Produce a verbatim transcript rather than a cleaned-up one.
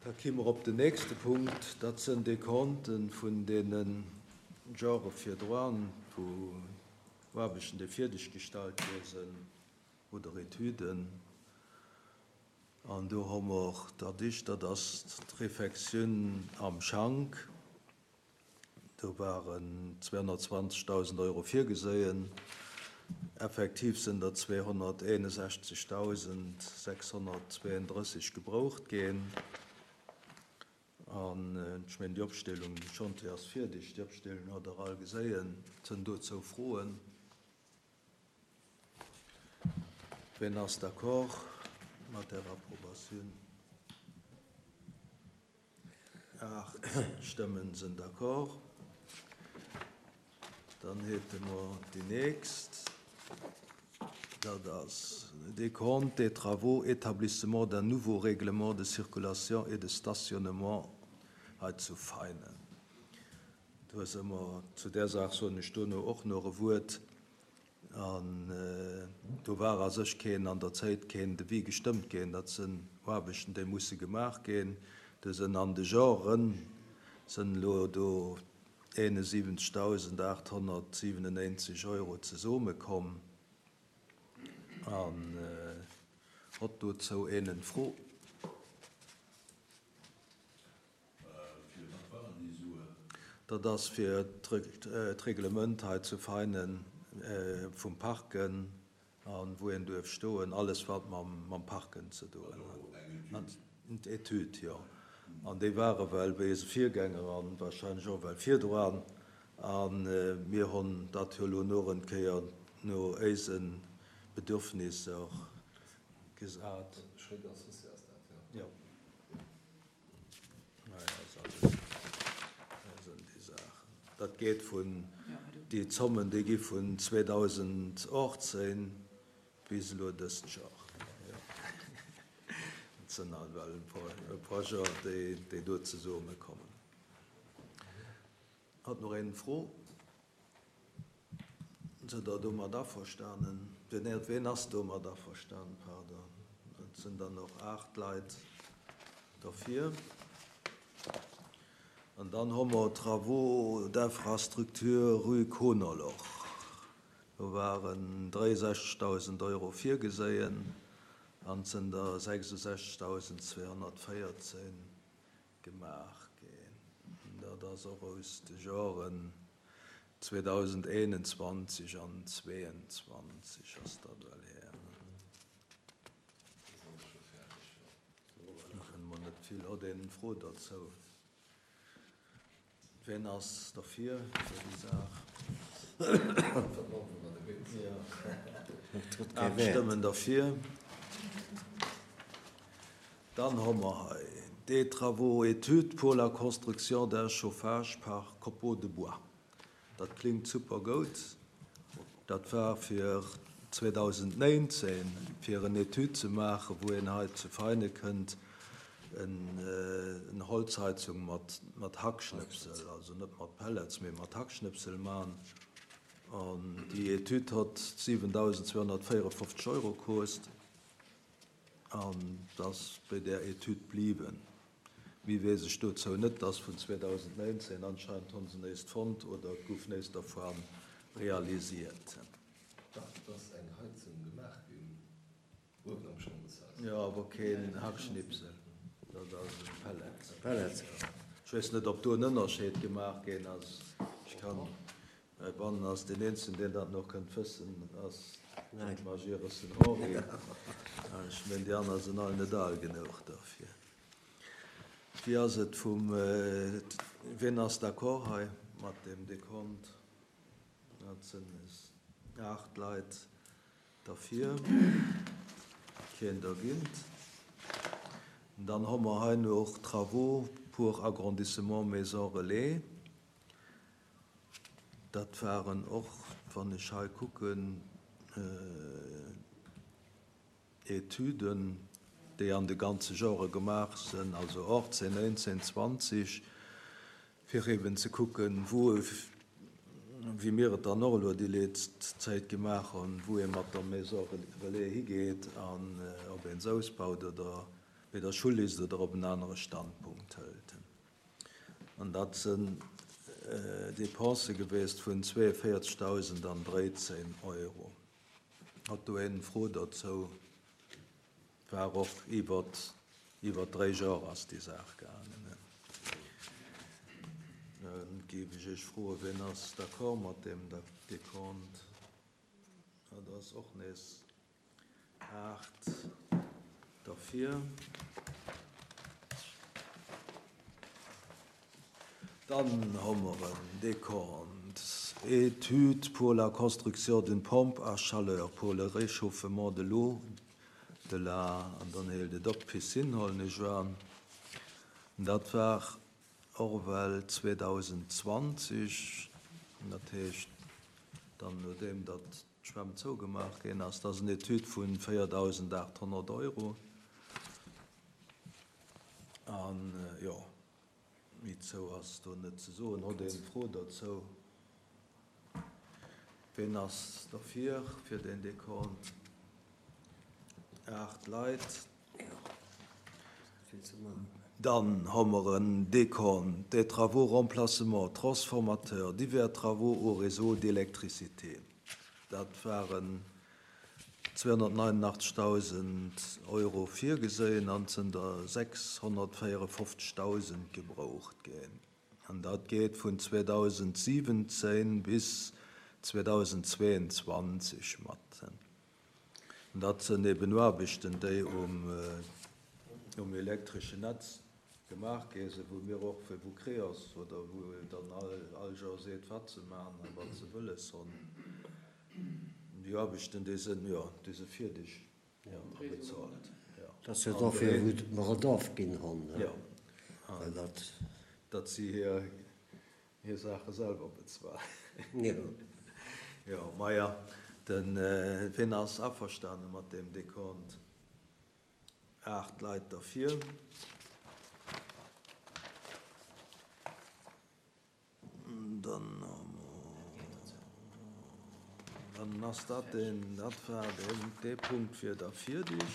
Da komme mer op den nächste Punkt, dat sinn Dekonten vun deene Jore virdrun, wou Aarbechten, déi fierdeg gestallt gi sinn, oder Etüden. An do hu mer dat éischt, dat ass d'Refektioun am Schank. Do waren zweehonnertzwanzegdausend Euro virgeséien. Effektiv sinn der zweehonnerteenundsechzegdausendsechshonnertzweeëndrësseg gebraucht ginn. An ech mengen, déi Opstellung, de Chantier ass fierdeg, déi Opstellung hutt Der all geséien. Sinn dozou Froen? Wien ass d'accord mat der Approbatioun? Aacht Stëmmen sinn d'accord. Dann hätte mer déi nächst. Dat ass Décompte des travaux, établissement d'un nouveau règlement de circulation et de stationnement hei zu Veinen. Do si mer zu där Saach, soen ech dono och nach e Wuert. An do war a sech keen an der Zäit keen Devis gestëmmt ginn. Dat sinn Aarbechten, déi musse gemaach ginn. Do sinn an de Joren sinn elo do eenundsiwwenzegdausendachthonnertsiwenundneunzeg Euro zesummekomm. An hott dozou een Fro? Fir wat waren déi Suen? Dat ass fir d'Reglement hei zu Veinen vum Parken an wou een duerf stoen, alles wat mam, mam Parken ze doen huet. Etüd, jo. An déi ware well wéi se Virgänger an wahrscheinlech och well virdrun. An mir hunn dat jo elo noch eng Kéier no eise Bedürfnisser gesat. Schréck associé ass dat, jo. Jo. Naja, ass alles, dat sinn déi Saachen. Dat geet vun, déi Zommen, déi gi vun zweedausendachtzehn bis elo dëst Joer. Jo. Dat sinn halt well e puer, e puer Joer, déi, déi do zesummekommen. Hat nach een Fro? Sidd Der domat averstanen? Wien, wien ass domat averstanen? Pardon. Et sinn dann noch aacht Leit dafür. An dann hu mer Travaux d'infrastructure rue Konerloch. Do waren dräiundsechzegdausend Euro virgeséien an sinn der sechsundsechzegdausendzweehonnertvéierzehn gemaach ginn. Dat ass och aus de Joren zweedausendeenundzwanzeg an zweeëndzwanzeg ass dat well her. Da kënne mer net vill. Huet een Fro dozou? Wien ass derfir fir déi Saach? Ja. Aacht Stëmmen derfir. Dann hu mer hei des travaux études pour la construction d'un chauffage par copeaux de bois. Dat klingt super goud. Dat war fir zweedausendnéinzehn, fir en Etüd ze maachen, wou een hei zu Veine kënnt en, en Holzheizung mat, mat Hackschnëpsel, also net mat Pellets, mee mat Hackschnëpsel man. An déi Etüd hat siwendausendzweehonnertvéierundfofzeg Euro kost. An das bei der Etüd bliwen. Méi weess ech dozou net, dass vun zweedausendnéinzehn anscheinend hunn se néist fonnt oder gouf néist dervun realisiert. Dach, et ass eng Heizung gemaach ginn uewen am Chambershaus. Jo, awer keen Hackschnipsel, dat ass e Pellet. Pellet. Ech weess net, ob do en Ënnerscheed gemaach ginn ass. Ech kann, heibannen ass deen Eenzegen, deen dat nach kënnt wëssen, ass de Magirus den Henri. Ech mengen, déi aner sinn all net al genuch dofir. Wéi ass et vum, wien ass d'accord hei mat dem Dekont? Dat sinn aacht Leit derfir, keen dergéint. Dann hu mer hei noch Travaux pour agrandissement Maison Relais. Dat waren och, wann ech hei kucken, Etüden, déi an de ganze Jore gemaach sinn, also achtzehn, neunzehn, zwanzeg, fir eben ze kucken, wou, wéi mir et dann och elo déi letzt Zäit gemaach hunn, wou ee mat der Maison Relais higeet an ob een se ausbaut oder wéi der Schull ist oder op en anere Standpunkt hëlt. An dat sinn Dépensë gewiescht vun zweeënvéierzegdausend dréizéng Euro. Hat do een Fro dozou? War och iwwer iwwer dräi Joer ass déi Saach gaangen. Géif ech Iech froen, wien ass d'accord mat deem Dekont? Dat ass och nees aacht derfir. Dann hu mer en Dekont, Étude pour la construction d'une pompe à chaleur pour le réchauffement de l'eau de la, an dann hélt et op, Piscine, huelen ech un. Dat war och well zweedausendzwanzeg, dat heescht dann nodeem datt d'Schwämm zougemaach ginn ass. Dat ass en Etüd vu véierdausendaathonnert Euro. An jo, méi zou ass do net ze soen. Hutt een Fro dozou? Ween ass derfir, fir deen Dekont? Aacht Leit. Dann hu mer en Dekont des travaux remplacement transformateur, divers travaux au réseau d'électricité. Dat waren zweehonnertneunenachtzegdausend Euro virgeséien an et sinn der sechshonnertvéierefofzegdausend gebraucht ginn. An dat geet vun zweedausentsiwwenzéng bis zweedausendzweeënzwanzeg mat. An dat sinn eben Aarbechten, déi um um elektreschen Netz gemaach gi sinn, wou mir och fir wou Creos oder wou dann all all Joer seet, wat se maachen a wat se wëlles hunn. Déi Aarbechten, déi sinn, jo, déi si fierdeg, jo, a bezahlt, jo. Dat ass jo dofir, wou mer et ofginn hunn, Jo. well dat. Datt si hir hir Saache selwer bezuelen. Jo. Jo, maja, den, wien ass averstane mat deem Dekont? Aacht Leit derfir. Dann dann ass dat deen, dat war deen, dee Punkt fir da fierdeg.